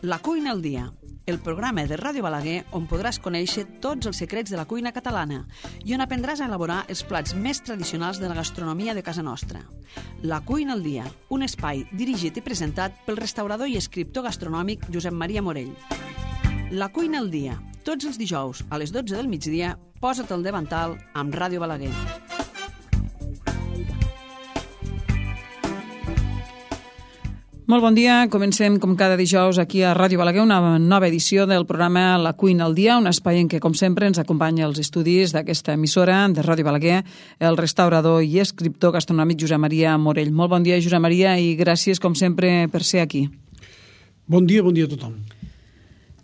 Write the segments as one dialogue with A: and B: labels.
A: La cuina al dia, el programa de Ràdio Balaguer on podràs conèixer tots els secrets de la cuina catalana i on aprendràs a elaborar els plats més tradicionals de la gastronomia de casa nostra. La cuina al dia, un espai dirigit i presentat pel restaurador i escriptor gastronòmic Josep Maria Morell. La cuina al dia, tots els dijous a les 12 del migdia, posa't al davantal amb Ràdio Balaguer.
B: Molt bon dia, comencem com cada dijous aquí a Ràdio Balaguer una nova edició del programa La cuina al dia, un espai en què com sempre ens acompanya els estudis d'aquesta emissora de Ràdio Balaguer, el restaurador i escriptor gastronòmic Josep Maria Morell. Molt bon dia, Josep Maria, i gràcies com sempre per ser aquí.
C: Bon dia a tothom.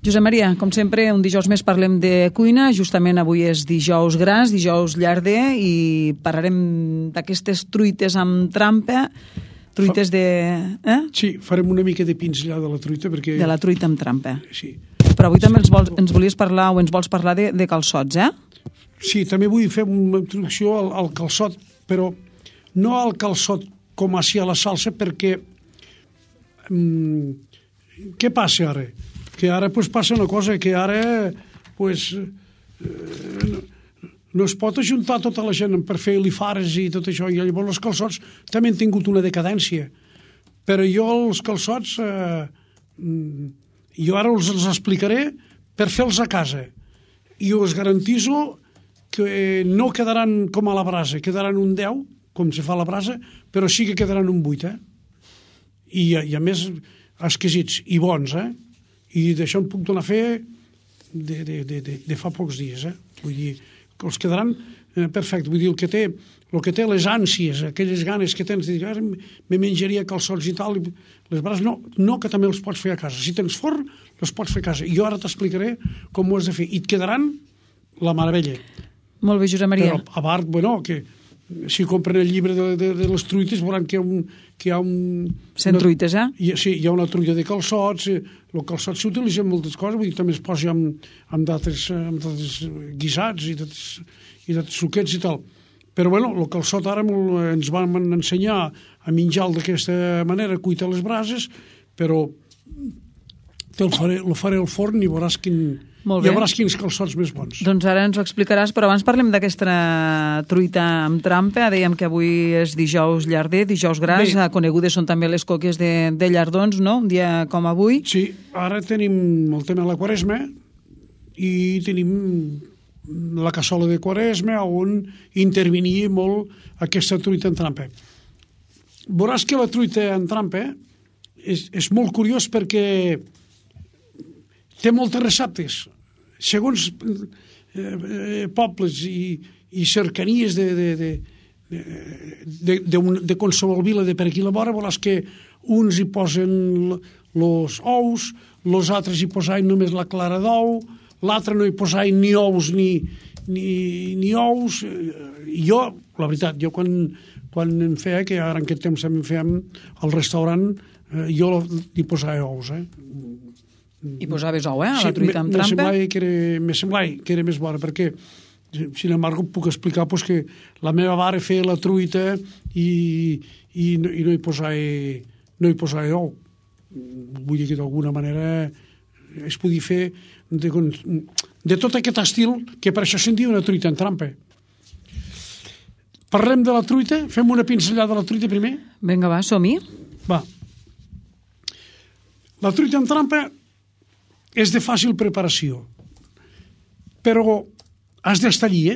B: Josep Maria, com sempre, un dijous més parlem de cuina. Justament avui és dijous gras, dijous llarder, i parlarem d'aquestes truites amb trampa. Truites de...
C: Sí, farem una mica de pinzellada de la truita perquè...
B: De la truita amb trampa.
C: Sí.
B: Però avui també ens volies parlar o ens vols parlar de calçots,
C: Sí, també vull fer una introducció al calçot, però no al calçot com així a la salsa, perquè... què passa ara? Que ara passa una cosa, que ara no es pot ajuntar tota la gent per fer lifares i tot això, i llavors els calçots també han tingut una decadència. Però jo els calçots, jo ara els explicaré per fer-los a casa. I us garantiso que no quedaran com a la brasa, quedaran un 10, com se fa a la brasa, però sí que quedaran un 8, I a més, exquisits i bons, I d'això em puc donar a fer de fa pocs dies, Vull dir, que els quedaran perfecte. Vull dir, el que té les ànsies, aquelles ganes que tens de dir, me menjaria calçots i tal, les brases, no que també els pots fer a casa. Si tens forn, els pots fer a casa. Jo ara t'explicaré com ho has de fer. I et quedaran la meravella.
B: Molt bé, Josep Maria.
C: Però, a part, que si compren el llibre de les truites veuran que hi ha
B: 100 truites,
C: Sí, hi ha una truita de calçots. El calçot s'utilitza en moltes coses, vull dir, també es posa amb d'altres guisats i d'altres suquets i tal. Però, el calçot ara ens van ensenyar a menjar-lo d'aquesta manera, cuita les brases, però el faré al forn i veuràs quins calçots més bons.
B: Doncs ara ens ho explicaràs, però abans parlem d'aquesta truita amb trampa. Dèiem que avui és dijous llarder, dijous gras, conegudes són també les coques de llardons, no? Un dia com avui.
C: Sí, ara tenim el tema de la Quaresma i tenim la cassola de Quaresma on intervenia molt aquesta truita en trampa. Veuràs que la truita en trampa és molt curiós perquè té moltes receptes. Segons pobles i cercanies de qualsevol vila de per aquí a la vora, veuràs que uns hi posen els ous, els altres hi posaven només la clara d'ou, l'altre no hi posaven ni ous ni ous. Jo, la veritat, quan em feia, que ara en aquest temps també fèiem al restaurant, jo hi posava ous,
B: I posaves ou, a la truita amb trampa?
C: Me semblava que era més bona, perquè, sin embargo, puc explicar que la meva mare feia la truita i no hi posava ou. Vull dir que d'alguna manera es podia fer de tot aquest estil, que per això se'n diu una truita en trampa. Parlem de la truita? Fem una pinzellada de la truita primer?
B: Vinga, va, som-hi.
C: Va. La truita en trampa és de fàcil preparació, però has d'estar allí,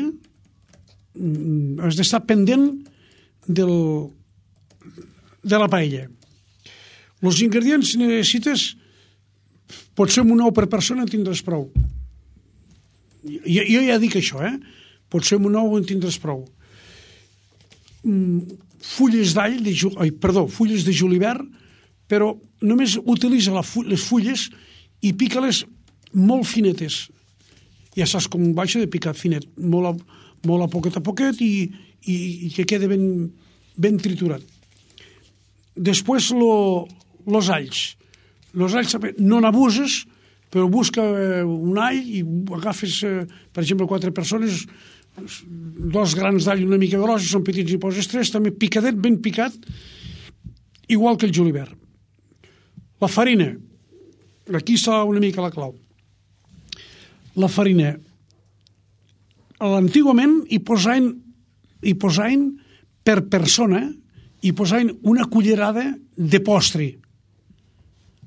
C: has d'estar pendent de la paella. Els ingredients necessites, potser un ou per persona en tindràs prou. Jo ja dic això, potser un ou en tindràs prou. Fulles de julivert, però només utilitza les fulles i pica-les molt finetes. Ja saps com baixa de picar finet, molt a poquet i que quede ben triturat. Després, els alls. Els alls també no n'abuses, però busca un all i agafes, per exemple, 4 persones, 2 grans d'all una mica grossos, són petits i poses 3, també picadet, ben picat, igual que el julivert. La farina, aquí està una mica la clau. La farina. Antigament hi posaven per persona, hi posaven una cullerada de postre.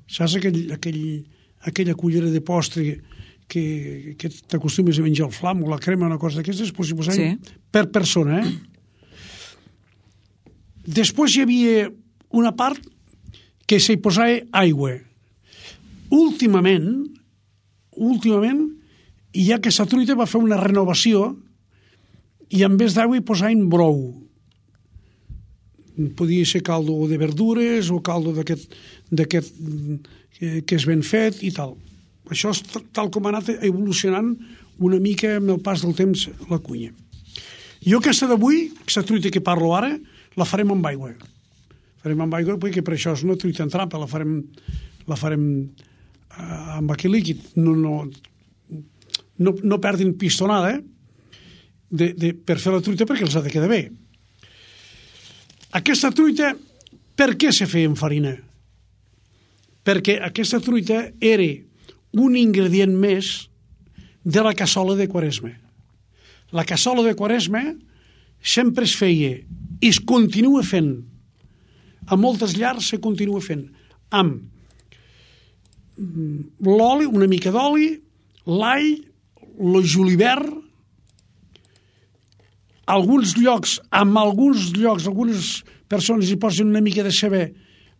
C: Saps aquella cullera de postre que t'acostumes a menjar el flam o la crema, una cosa d'aquestes, doncs hi posaven per persona. Després hi havia una part que s'hi posava aigua. Últimament, ja aquesta truita va fer una renovació i en vez d'aigua hi posaven brou. Podia ser caldo de verdures o caldo d'aquest que és ben fet i tal. Això és tal com ha anat evolucionant una mica amb el pas del temps la cuina. Jo aquesta d'avui, aquesta truita que parlo ara, la farem amb aigua. Farem amb aigua perquè per això és una truita en trampa, la farem amb aquell líquid. No perdin pistonada per fer la truita perquè els ha de quedar bé. Aquesta truita, per què se feia amb farina? Perquè aquesta truita era un ingredient més de la cassola de Quaresma. La cassola de Quaresma sempre es feia i es continua fent. A moltes llars se continua fent amb l'oli, una mica d'oli, l'all, el julivert, algunes persones hi posen una mica de ceba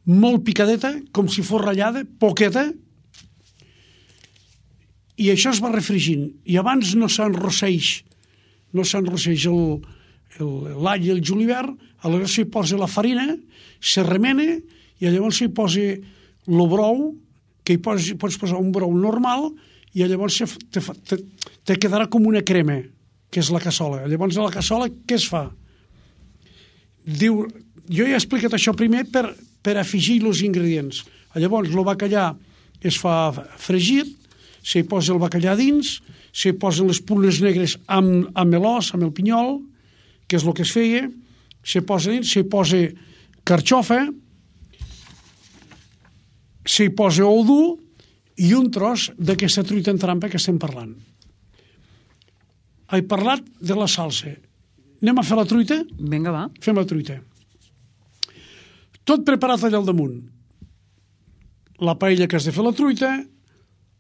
C: molt picadeta, com si fos ratllada, poqueta, i això es va refregint. I abans no s'enrosseix l'all i el julivert, aleshores s'hi posa la farina, se remena, i llavors s'hi posa el brou, que hi pots posar un brou normal, i llavors te quedarà com una crema, que és la cassola. Llavors a la cassola què es fa? Diu, jo ja he explicat això primer per afegir els ingredients. Llavors el bacallà es fa fregit, s'hi posa el bacallà dins, s'hi posen les prunes negres amb l'os, amb el pinyol, que és el que es feia, s'hi posa dins, s'hi posa carxofa, s'hi posa ou dur i un tros d'aquesta truita en trampa que estem parlant. He parlat de la salsa. Anem a fer la truita?
B: Vinga, va.
C: Fem la truita. Tot preparat allà al damunt. La paella que has de fer la truita,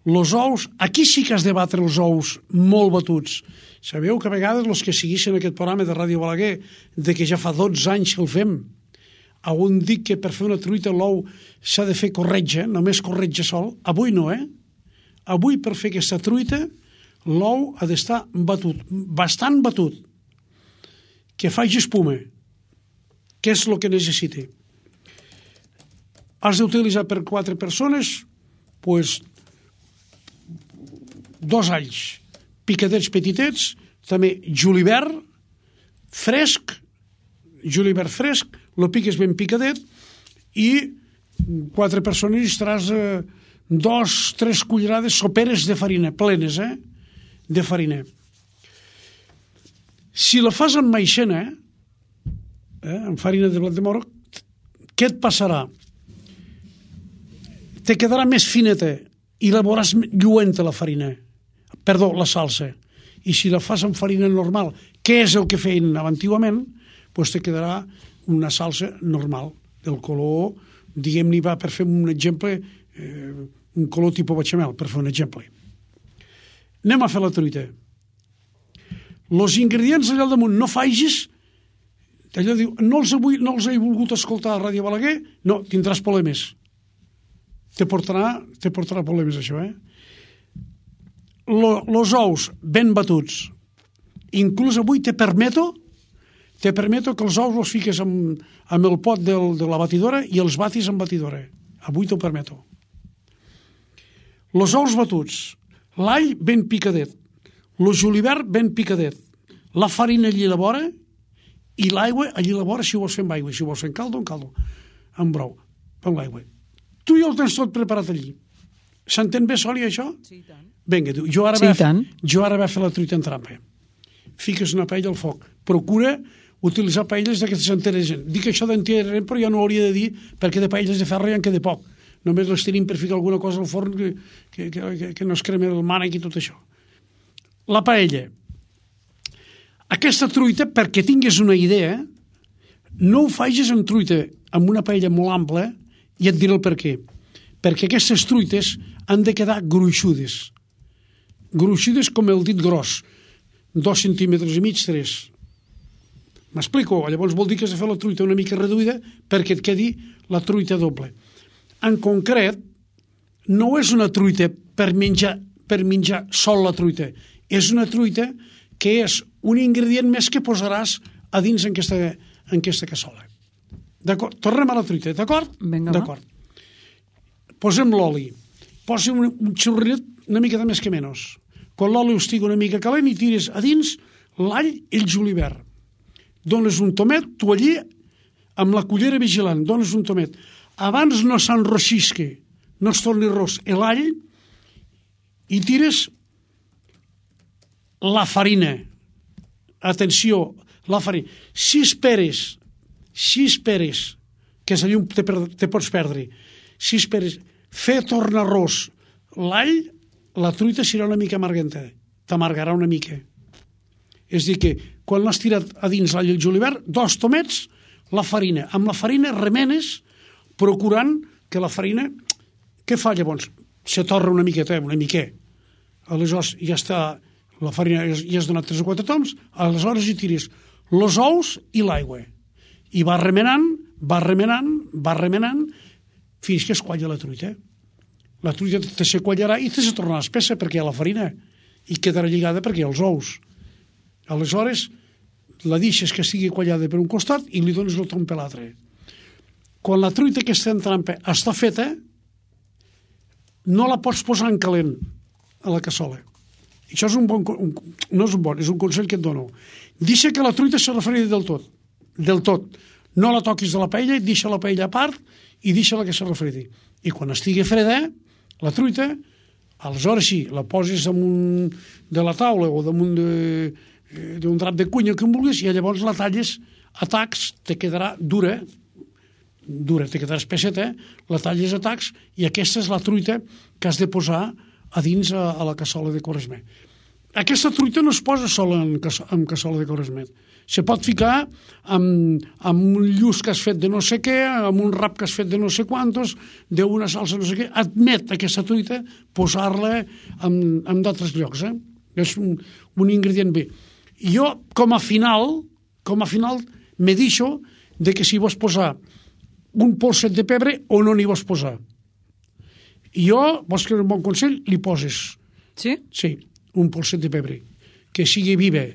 C: els ous, aquí sí que has de batre els ous molt batuts. Sabeu que a vegades els que segueixen aquest programa de Ràdio Balaguer, de que ja fa 12 anys que el fem, on dic que per fer una truita l'ou s'ha de fer corretja, només corretja sol. Avui no, Avui per fer aquesta truita l'ou ha d'estar batut, bastant batut, que faci espuma, que és el que necessita. Has d'utilitzar per 4 persones, doncs, 2 alls picadets petitets, també julivert fresc, el piques ben picadet, i 4 persones i estaràs 2-3 cullerades soperes de farina, plenes, de farina. Si la fas amb maixena, amb farina de blat de moro, què et passarà? Te quedarà més fineta i la veuràs lluenta la farina. Perdó, la salsa. I si la fas amb farina normal, que és el que feien antigament, doncs te quedarà una salsa normal, del color, diguem-ne, va per fer un exemple, un color tipus bechamel, per fer un exemple. Anem a fer la truita. Els ingredients allà al damunt no facis, allò diu, no els he volgut escoltar a Ràdio Balaguer, no, tindràs problemes. Te portarà problemes, això, Los ous ben batuts. Inclús avui te permeto que els ous els fiques amb el pot de la batidora i els batis amb batidora. Avui t'ho permeto. Los ous batuts, l'all ben picadet, el julivert ben picadet, la farina allí a la vora i l'aigua allí a la vora, si ho vols fer amb aigua, si ho vols fer en caldo, amb brou, amb l'aigua. Tu ja ho tens tot preparat allí. S'entén bé, Sòlia, això?
B: Sí, tant.
C: Vinga, jo ara vaig fer la truita en trampa. Fiques una paella al foc. Procura utilitzar paelles d'aquestes enteres. Dic això d'enteres, però ja no ho hauria de dir, perquè de paelles de ferro ja en queda poc. només les tenim per ficar alguna cosa al forn que no es crema el mànec i tot això. La paella. Aquesta truita, perquè tinguis una idea, no ho facis amb truita, amb una paella molt ampla, i et diré el per què. Perquè aquestes truites han de quedar gruixudes. Gruixudes com el dit gros. 2 centímetres i mig, 3. M'explico? Llavors vol dir que has de fer la truita una mica reduïda perquè et quedi la truita doble. En concret, no és una truita per menjar sol la truita. És una truita que és un ingredient més que posaràs a dins en aquesta cassola. D'acord? Tornem a la truita, d'acord?
B: Vinga,
C: d'acord. Posem l'oli. Posem un xorrinet una mica de més que menys. Quan l'oli estigui una mica calent i tires a dins l'all i el julivert. Dones un tomet, tu allí, amb la cullera vigilant, dones un tomet. Abans no s'enrossisque, no es torni ros l'all, i tires la farina. Atenció, la farina. Si esperes que la llum te pots perdre, si esperes fer tornar ros l'all, la truita serà una mica amarganta, t'amargarà una mica. És a dir que quan l'has tirat a dins l'all i el julivert, 2 tomets, la farina. Amb la farina remenes, procurant que la farina... Què fa llavors? Se torra una miqueta, una miqueta. Aleshores ja està, la farina ja has donat 3 o 4 toms, aleshores hi tires els ous i l'aigua. I va remenant, fins que es qualla la truita. La truita te se quallarà i te se tornarà espessa perquè hi ha la farina i quedarà lligada perquè hi ha els ous. Aleshores, la deixes que estigui quallada per un costat i li dones el tom per l'altre. Quan la truita que està en trampa està feta, no la pots posar en calent a la cassola. Això és és un consell que et dono. Deixa que la truita se refredi del tot. No la toquis de la paella, deixa la paella a part i deixa-la que se refredi. I quan estigui freda, la truita, aleshores sí, la poses damunt de la taula o damunt d'un drap de cuina que em vulguis i llavors la talles a tacs, te quedarà dura, te quedarà espesseta, la talles a tacs i aquesta és la truita que has de posar a dins a la cassola de Quaresmet. Aquesta truita no es posa sola en cassola de Quaresmet. Se pot ficar amb un lluç que has fet de no sé què, amb un rap que has fet de no sé quantos, d'una salsa no sé què. Admet aquesta truita posar-la en d'altres llocs. És un ingredient bé. Jo, com a final, me deixo de que si vols posar un polset de pebre o no n'hi vols posar. Jo, vols que un bon consell, li poses.
B: Sí? Sí,
C: un polset de pebre. Que sigui viva,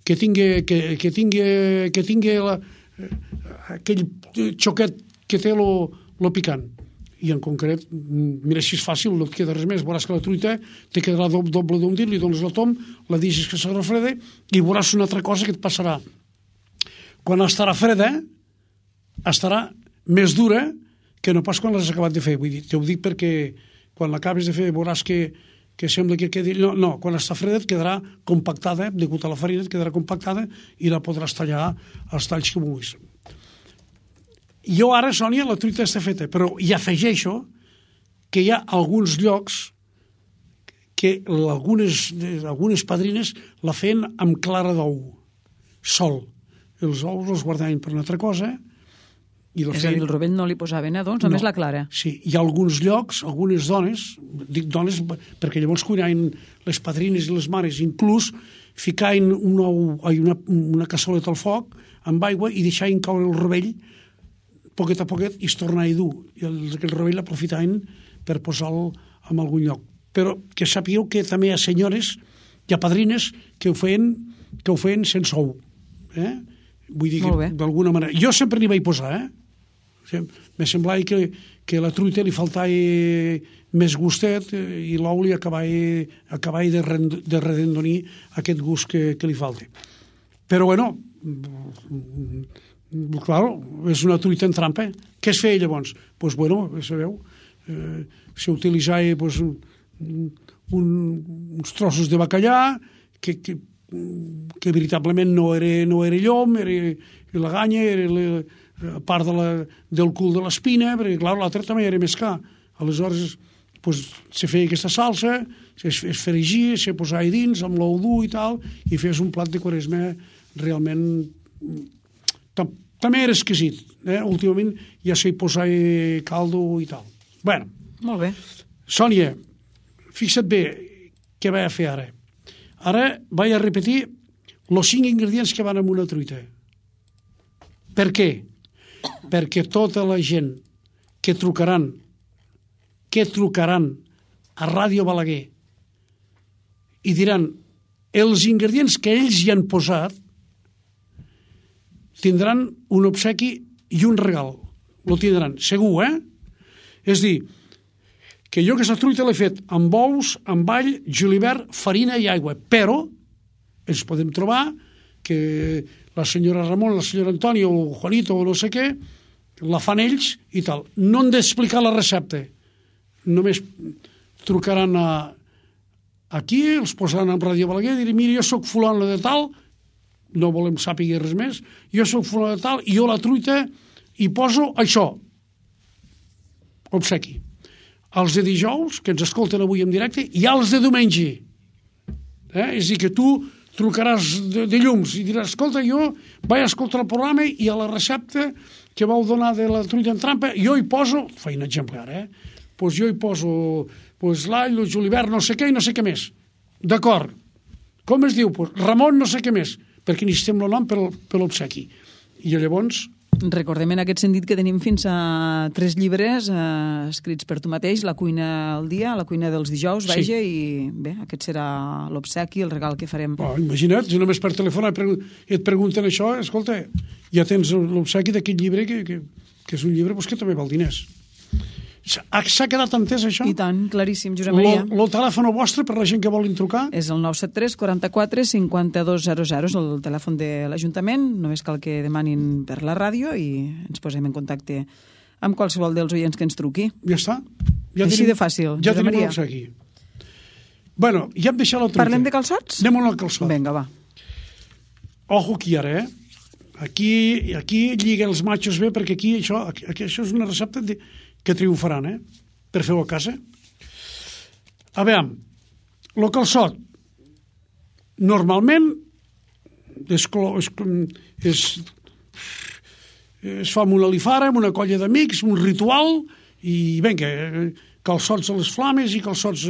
C: que tingui aquell xoquet que té lo picant. I en concret, mira, si és fàcil, no et queda res més. Veuràs que la truita te quedarà doble d'un dit, li dones el tom, la deixes que se refreda i veuràs una altra cosa que et passarà. Quan estarà freda, estarà més dura que no pas quan l'has acabat de fer. Vull dir, t'ho dic perquè quan l'acabes de fer veuràs que sembla que quedi... No, quan està freda et quedarà compactada, degut a la farina et quedarà compactada i la podràs tallar als talls que vulguis. Jo ara, Sònia, la truita està feta, però hi afegeixo que hi ha alguns llocs que algunes padrines la feien amb clara d'ou, sol. Els ous els guardaven per una altra cosa.
B: És a dir, el rovell no li posaven, doncs, només la clara.
C: Sí, hi ha alguns llocs, algunes dones, dic dones perquè llavors cuinaven les padrines i les mares, inclús ficaven una cassoleta al foc amb aigua i deixaven caure el rovell poquet a poquet i es tornava dur. I el rovell l'aprofitaven per posar-lo en algun lloc. Però que sapigueu que també hi ha senyores, hi ha padrines que ho feien sense ou. Vull dir que d'alguna manera... Jo sempre n'hi vaig posar, Me semblava que la truita li faltava més gustet i l'ou li acabava de redondonir aquest gust que li falta. Però, bueno, claro, és una truita en trampa. Què es feia llavors? Doncs, bueno, sabeu, s'utilitzava uns trossos de bacallà que veritablement no era llom, era la ganya, era a part del cul de l'espina, perquè, clar, l'altre també era més car. Aleshores, se feia aquesta salsa, es fregia, se posava dins, amb l'ou dur i tal, i fes un plat de Quaresma realment... També era exquisit. Últimament ja s'hi posava caldo i tal. Bueno.
B: Molt bé.
C: Sònia, fixa't bé què vaig a fer ara. Ara vaig a repetir els 5 ingredients que van en una truita. Per què? Perquè tota la gent que trucaran a Ràdio Balaguer i diran els ingredients que ells hi han posat tindran un obsequi i un regal. Lo tindran, segur, És dir, que jo aquesta truita l'he fet amb ous, amb all, julivert, farina i aigua, però ens podem trobar que la senyora Ramon, la senyora Antònia o Juanito o no sé què, la fan ells i tal. No han d'explicar la recepta. Només trucaran aquí, els posaran en Ràdio Balaguer i diran, mira, jo soc fulano de tal, no volem sàpiga res més, jo soc fulano de tal i jo la truita hi poso això. Obsequi. Els de dijous, que ens escolten avui en directe, i els de diumenge. És a dir, que tu trucaràs de llums i diràs, escolta, jo vaig escoltar el programa i a la recepta que vau donar de la truita en trampa, jo hi poso, faig un exemple ara, doncs jo hi poso l'all, el julivert, no sé què i no sé què més. D'acord. Com es diu? Ramon no sé què més, perquè necessitem el nom per l'obsequi. I llavors...
B: Recordem en aquest sentit que tenim fins a 3 llibres escrits per tu mateix, La cuina al dia, La cuina dels dijous, vaja, i bé, aquest serà l'obsequi, el regal que farem.
C: Imagina't, si només per telèfon et pregunten això, escolta, ja tens l'obsequi d'aquest llibre que és un llibre que també val diners. S'ha quedat entès, això?
B: I tant, claríssim, Josep Maria.
C: El telèfon vostre, per la gent que volin trucar?
B: És el 973 44 5200, és el telèfon de l'Ajuntament, només cal que demanin per la ràdio i ens posem en contacte amb qualsevol dels oients que ens truqui.
C: Ja està.
B: Així de fàcil,
C: ja
B: Josep Maria.
C: Ja tenim aquí. Bueno, ja hem deixat la truita.
B: Parlem de calçots?
C: Anem al calçot.
B: Vinga, va.
C: Ojo aquí ara, Aquí lliguen els matxos bé, perquè aquí això és una recepta que triomfaran, per fer-ho a casa. A veure, el calçot, normalment es fa amb una alifara, amb una colla d'amics, un ritual, i vinga, calçots a les flames i calçots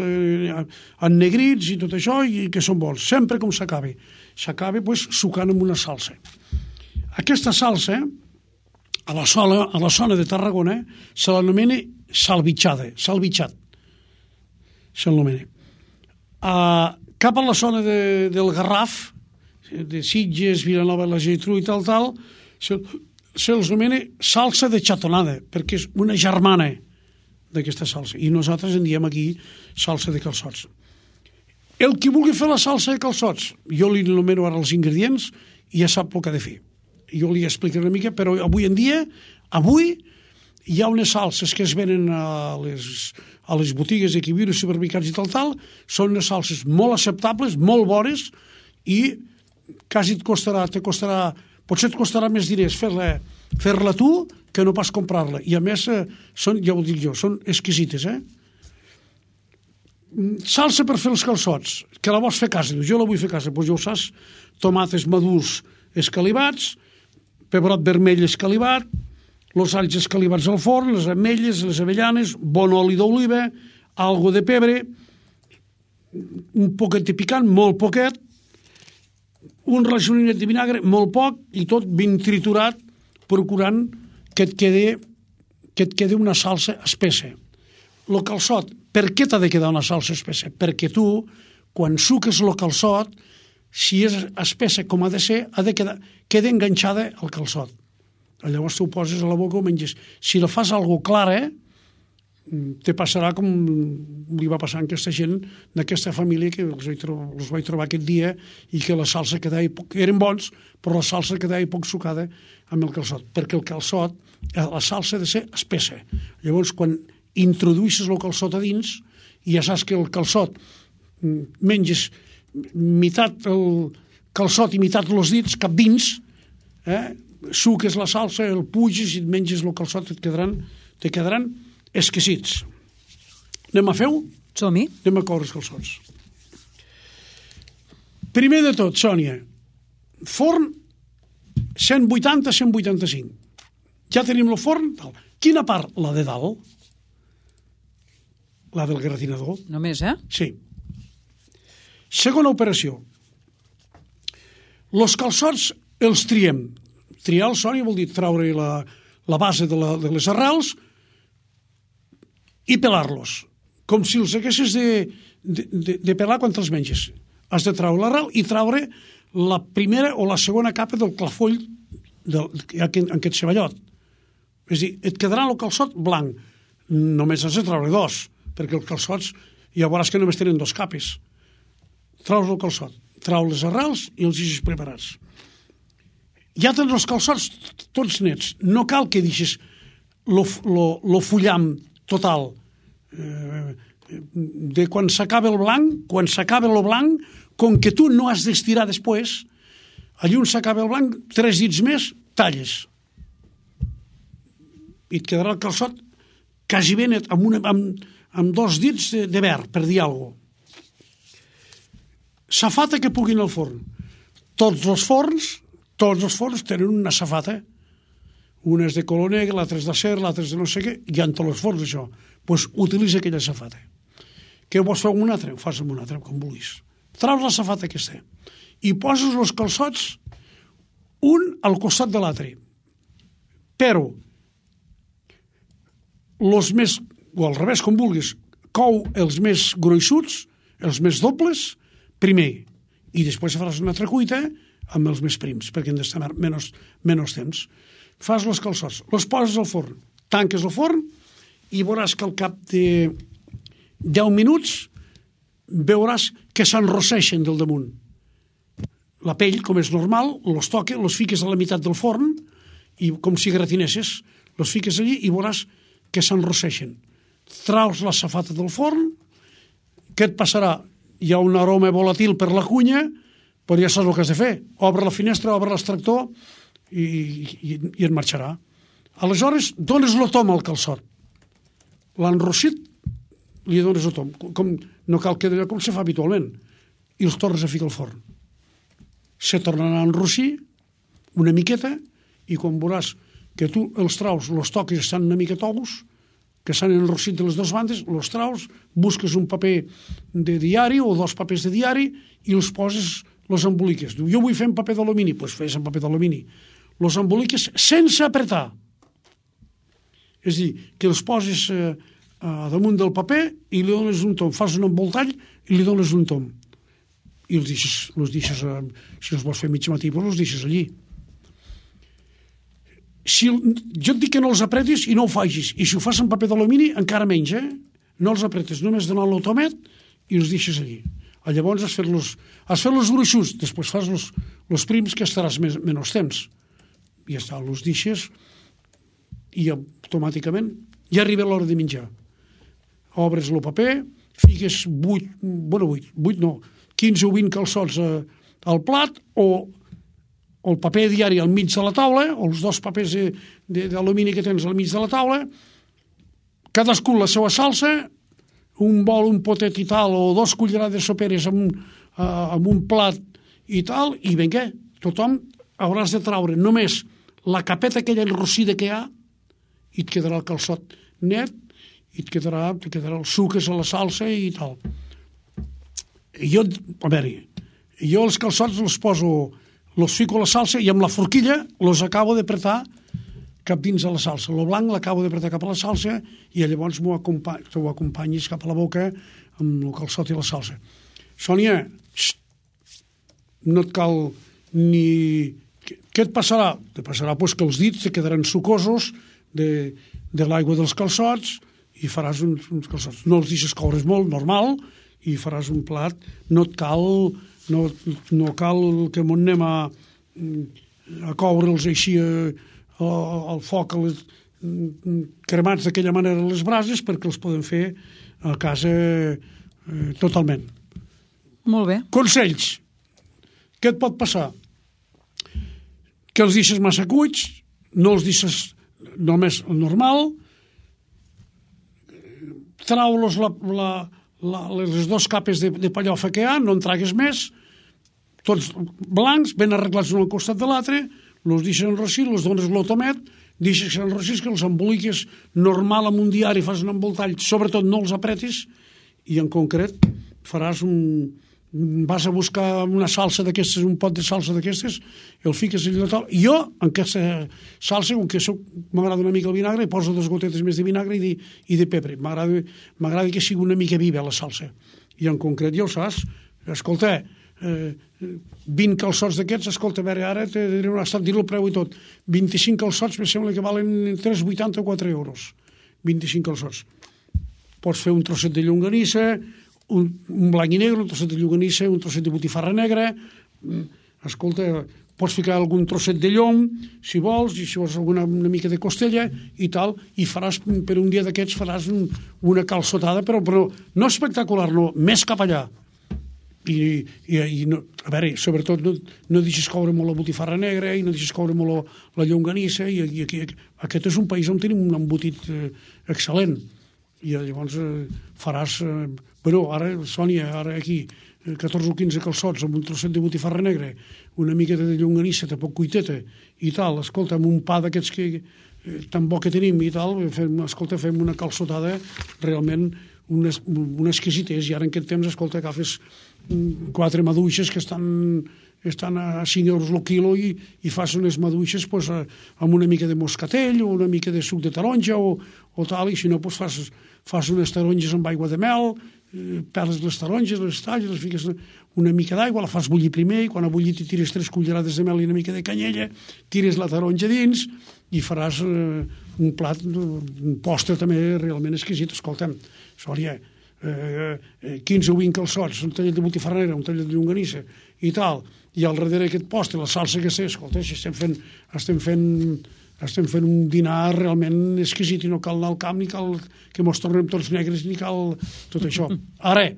C: ennegrits i tot això, i que són bons. Sempre com s'acaba. S'acaba sucant amb una salsa. Aquesta salsa, a la zona de Tarragona, se l'anomena salvitxat. Se l'anomena. Cap a la zona del Garraf, de Sitges, Vilanova, la Geltrú i tal, se'ls anomena salsa de xatonada, perquè és una germana d'aquesta salsa. I nosaltres en diem aquí salsa de calçots. El qui vulgui fer la salsa de calçots, jo li nomeno ara els ingredients i ja sap el que ha de fer. Jo li explicaré una mica, però avui en dia, hi ha unes salses que es venen a les botigues aquí, als supermercats i tal, són unes salses molt acceptables, molt bones, i quasi potser et costarà més diners fer-la tu que no pas comprar-la. I a més, ja ho dic jo, són exquisites, Salsa per fer els calçots, que la vols fer a casa, jo la vull fer a casa, doncs ja ho saps, tomàquets madurs escalivats, pebrot vermell escalivat, els alls escalivats al forn, les ametlles, les avellanes, bon oli d'oliva, algo de pebre, un poquet de picant, molt poquet, un rajolinet de vinagre, molt poc, i tot ben triturat, procurant que et quedi una salsa espessa. El calçot, per què t'ha de quedar una salsa espessa? Perquè tu, quan suques el calçot, si és espessa com ha de ser, queda enganxada al calçot. Llavors tu ho poses a la boca o menges. Si la fas algo clara, te passarà com li va passar a aquesta gent d'aquesta família que els vaig trobar aquest dia i que la salsa quedava eren bons, però la salsa quedava poc sucada amb el calçot, perquè el calçot, la salsa ha de ser espessa. Llavors, quan introduïsses el calçot a dins, i ja saps que el calçot menges meitat el calçot i meitat els dits cap dins, suques la salsa, el puges i et menges el calçot, te quedaran exquisits. Anem a fer-ho?
B: Som-hi.
C: Anem a coure els calçots. Primer de tot, Sònia, forn 180-185. Ja tenim el forn. Quina part? La de dalt. La del gratinador.
B: Només,
C: Sí. Segona operació. Els calçots els triem. Triar el Sònia vol dir treure la base de les arrels i pelar-los. Com si els haguessis de pelar quan te'ls menges. Has de treure l'arrel i treure la primera o la segona capa del clafoll en aquest ceballot. És a dir, et quedarà el calçot blanc. Només has de treure dos, perquè els calçots ja veuràs que només tenen dos capes. Treus el calçot, treus les arrels i els deixes preparats. Ja tens els calçots tots nets. No cal que deixis lo fullam total. De quan s'acaba el blanc, com que tu no has d'estirar després, allí on s'acaba el blanc, 3 dits més, talles. I et quedarà el calçot quasi ben net, amb 2 dits de verd, per dir alguna cosa. Safata que puguin al forn. Tots els forns tenen una safata. Una és de color negre, l'altra és d'acer, l'altra és de no sé què, hi ha en tots els forns, això. Doncs utilitza aquella safata. Què vols fer amb una altra? Ho fas amb una altra, com vulguis. Traus la safata aquesta i poses els calçots un al costat de l'altre. Però els més, o al revés, com vulguis, cou els més gruixuts, els més dobles, primer, i després faràs una altra cuita amb els més prims, perquè han d'estar menys temps. Fas els calçots, els poses al forn, tanques el forn i veuràs que al cap de 10 minuts veuràs que s'enrosseixen del damunt. La pell, com és normal, els toques, els fiques a la meitat del forn, i com si gratinesses, els fiques allí i veuràs que s'enrosseixen. Traus la safata del forn, què et passarà? Hi ha un aroma volàtil per la cunya, però ja saps el que has de fer. Obre la finestra, obre l'extractor i et marxarà. Aleshores, dones el tom al calçot. L'enrossit, li dones el tom. No cal que com se fa habitualment. I els tornes a ficar al forn. Se tornaran a enrossir una miqueta i quan veuràs que tu els traus, els toques estan una mica tous, que s'han enrossit de les dues bandes, els traus, busques un paper de diari o 2 papers de diari i els poses, els emboliques. Diu, jo vull fer en paper d'alumini, doncs fes en paper d'alumini. Els emboliques sense apretar. És a dir, que els poses damunt del paper i li dones un tom. Fas un envoltall i li dones un tom. I els deixes si els vols fer mig matí, doncs els deixes allí. Jo et dic que no els apretis i no ho facis. I si ho fas en paper d'alumini, encara menys, No els apretes, només donant l'automet i els deixes allí. Llavors has fet els gruixos, després fas els prims que estaràs menys temps. I ja està, els deixes i automàticament ja arriba l'hora de menjar. Obres el paper, fiques 15 o 20 calçots al plat o el paper diari al mig de la taula, o els 2 papers d'alumini que tens al mig de la taula, cadascú la seva salsa, un bol, un potet i tal, o 2 cullerades soperes amb un plat i tal, i vinga, tothom hauràs de traure només la capeta aquella enrossida que hi ha i et quedarà el calçot net i et quedarà el suques a la salsa i tal. Jo els calçots els poso, els fico a la salsa i amb la forquilla els acabo d'apretar cap dins a la salsa. El blanc l'acabo d'apretar cap a la salsa i llavors t'ho acompanyis cap a la boca amb el calçot i la salsa. Sònia, no et cal ni... Què et passarà? Et passarà que els dits te quedaran sucosos de l'aigua dels calçots i faràs uns calçots. No els deixes coure molt, normal, i faràs un plat. No cal que m'on anem a coure'ls així al foc, cremats d'aquella manera a les brases, perquè els podem fer a casa totalment.
B: Molt bé.
C: Consells. Què et pot passar? que els deixes massa cuits, no els deixes només el normal, trau-los les dues capes de pallofa que hi ha, no en tragues més, tots blancs, ben arreglats un al costat de l'altre, els deixes enrossir, els dones l'automet, deixes que s'enrossís, que els emboliques normal amb un diari, fas un envoltall, sobretot no els apretis, i en concret faràs vas a buscar una salsa d'aquestes, un pot de salsa d'aquestes, el fiques allà a taula. Jo, en aquesta salsa, com que m'agrada una mica el vinagre, poso 2 gotetes més de vinagre i de pebre. M'agrada que sigui una mica viva la salsa. I en concret, ja ho saps, escolta, 20 calçots d'aquests, escolta, a veure, ara t'he estat dir el preu i tot, 25 calçots me sembla que valen 3,80 o 4 euros, 25 calçots. Pots fer un trosset de llonganissa, un blanc i negre, un trosset de llonganissa, un trosset de botifarra negra, escolta, pots ficar algun trosset de llom, si vols, i si vols una mica de costella i tal, i faràs, per un dia d'aquests faràs una calçotada, però no espectacular, no, més cap allà. I no, a veure, sobretot no deixes coure molt la botifarra negra i no deixes coure molt la llonganissa, i aquest és un país on tenim un embotit excel·lent, i llavors faràs ara, Sònia, ara aquí 14 o 15 calçots amb un trosset de botifarra negra, una mica de llonganissa poc cuiteta i tal, escolta, amb un pa d'aquests que tan bo que tenim i tal, fem una calçotada realment una exquisitès, i ara en aquest temps, escolta, agafes 4 maduixes que estan a 5 euros el quilo i fas unes maduixes amb una mica de moscatell o una mica de suc de taronja o tal, i si no fas unes taronges amb aigua de mel, peles les taronges, les talles, les fiques una mica d'aigua, la fas bullir primer, i quan ha bullit hi tires 3 cullerades de mel i una mica de canyella, tires la taronja dins i faràs un plat, un postre també realment exquisit. Escolta'm, Sònia, 15 o 20 calçots, un tallet de botifarra negra, un tallet de llonganissa i tal, i al darrere aquest postre, la salsa que sé, escolta, si estem fent un dinar realment exquisit, i no cal anar al camp, ni cal que mos tornem tots negres, ni cal tot això. Ara,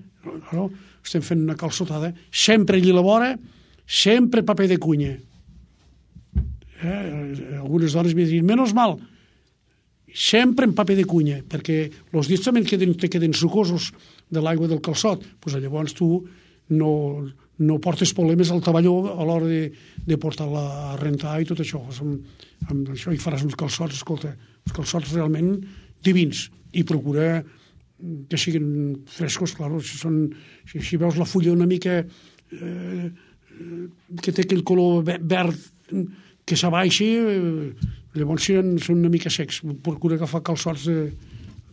C: no? Estem fent una calçotada, sempre allí a la vora, sempre paper de cunya. Algunes dones m'hi diuen, menys mal, sempre en paper de cunya, perquè els dits també te queden sucosos de l'aigua del calçot, doncs llavors tu no portes problemes al taballó a l'hora de portar-la a rentar i tot això. Amb això hi faràs uns calçots, escolta, uns calçots realment divins, i procura que siguin frescos, clar, si veus la fulla una mica que té aquell color verd que s'abaixi, llavors són una mica secs. Procura agafar calçots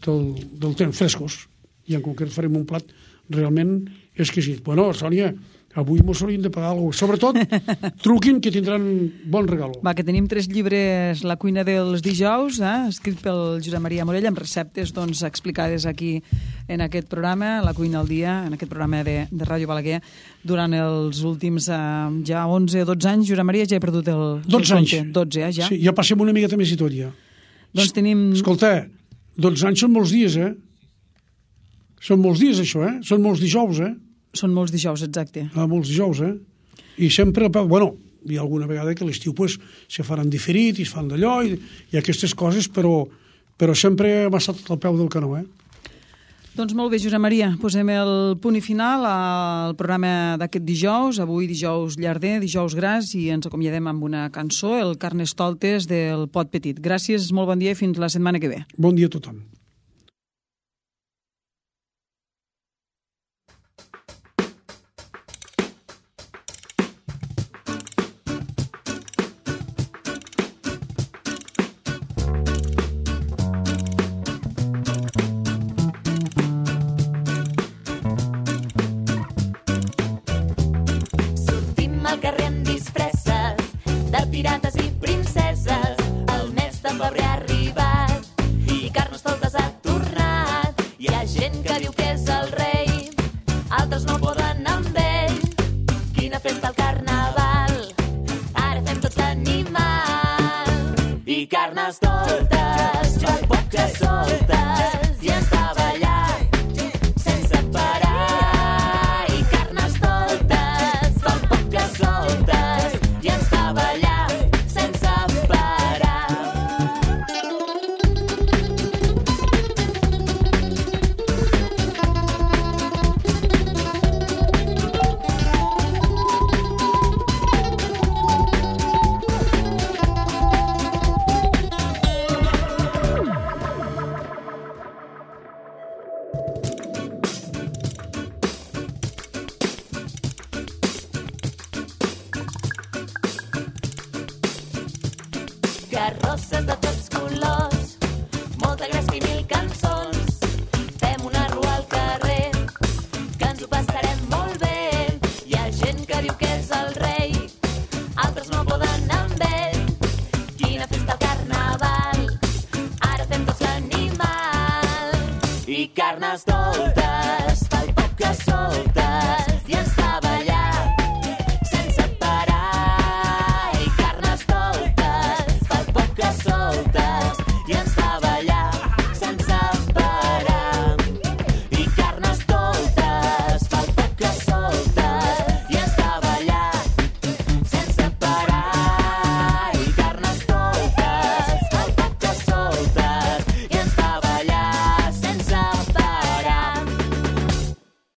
C: del temps, frescos, i en concret farem un plat realment exquisit. Bueno, Sònia, avui mos hauríem de pagar alguna cosa. Sobretot, truquin, que tindran bon regalo.
B: Va, que tenim 3 llibres, La cuina dels dijous, escrit pel Josep Maria Morell, amb receptes explicades aquí en aquest programa, La cuina al dia, en aquest programa de Ràdio Balaguer, durant els últims ja 11 o 12 anys. Josep Maria, ja he perdut el
C: 12 anys.
B: 12, ja?
C: Sí, ja passem una miqueta més i tot, ja.
B: Doncs tenim...
C: Escolta, 12 anys són molts dies, Són molts dies, això, Són molts dijous,
B: Són molts dijous, exacte.
C: Molts dijous, I sempre, bueno, hi ha alguna vegada que l'estiu se faran diferit i es fan d'allò i aquestes coses, però sempre m'ha estat al peu del canó,
B: Doncs molt bé, Josep Maria, posem el punt i final al programa d'aquest dijous, avui dijous llarder, dijous gras, i ens acomiadem amb una cançó, el Carnestoltes del Pot Petit. Gràcies, molt bon dia i fins la setmana que ve.
C: Bon dia a tothom.
D: Pirates i princeses, el mes de febrer ha arribat i Carnestoltes ha tornat. Hi ha gent que diu que és el rei, altres no poden amb ell. Quina festa al carnaval, ara fem tots animal. I Carnestoltes, per poc que soltes, i ens fa ballar sense parar. I Carnestoltes, per poc que soltes, i ens fa ballar sense i carnestoltes, el pop que solta